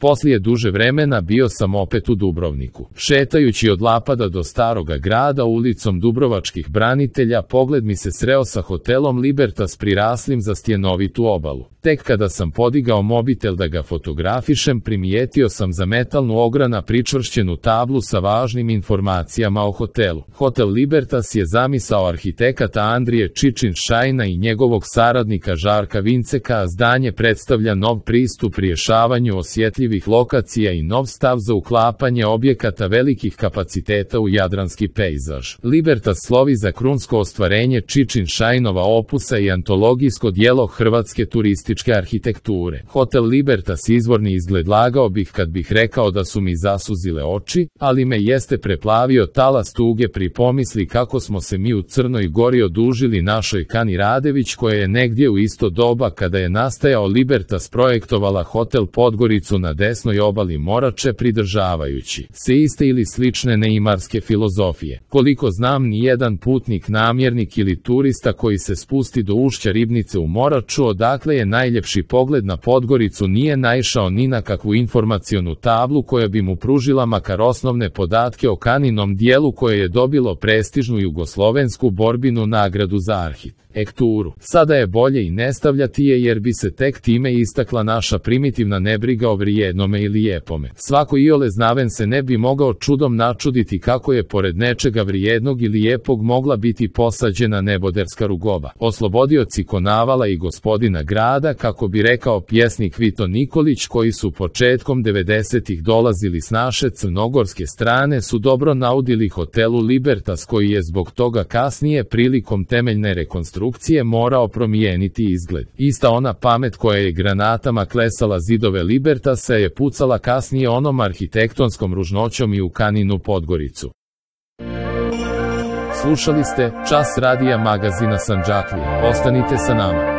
Poslije duže vremena bio sam opet u Dubrovniku. Šetajući od Lapada do Staroga grada ulicom Dubrovačkih branitelja, pogled mi se sreo sa hotelom Libertas priraslim za stjenovitu obalu. Tek kada sam podigao mobitel da ga fotografišem, primijetio sam za metalnu ograna pričvršćenu tablu sa važnim informacijama o hotelu. Hotel Libertas je zamisao arhitekata Andrije Čičin-Šajna i njegovog saradnika Žarka Vinceka, a zdanje predstavlja nov pristup rješavanju osjetljivih lokacija i nov stav za uklapanje objekata velikih kapaciteta u jadranski pejzaž. Libertas slovi za krunsko ostvarenje Čičin-Šajnova opusa i antologijsko djelo hrvatske turističke arhitekture. Hotel Libertas izvorni izgled, lagao bih kad bih rekao da su mi zasuzile oči, ali me jeste preplavio talas tuge pri pomisli kako smo se mi u Crnoj Gori odužili našoj Kani Radević, koja je negdje u isto doba kada je nastajao Libertas projektovala hotel Podgoricu na desnoj obali Morače, pridržavajući se iste ili slične neimarske filozofije. Koliko znam, nijedan putnik, namjernik ili turista koji se spusti do ušća Ribnice u Moraču, odakle je najljepši pogled na Podgoricu, nije naišao ni na kakvu informacionu tablu koja bi mu pružila makar osnovne podatke o Kaninom dijelu, koje je dobilo prestižnu jugoslovensku borbinu nagradu za arhitekturu. Sada je bolje i ne stavljati je, jer bi se tek time istakla naša primitivna nebriga o vrijednome i lijepome. Svako iole znaven se ne bi mogao čudom načuditi kako je pored nečega vrijednog i lijepog mogla biti posađena neboderska rugoba. Oslobodioci Konavala i gospodina grada, kako bi rekao pjesnik Vito Nikolić, koji su početkom 90-ih dolazili s naše crnogorske strane, su dobro naudili hotelu Libertas, koji je zbog toga kasnije prilikom temeljne rekonstrukcije morao promijeniti izgled. Ista ona pamet koja je granatama klesala zidove Libertasa je pucala kasnije onom arhitektonskom ružnoćom i u Kaninu Podgoricu. Slušali ste Čas radija magazina Sandžaklija. Ostanite sa nama.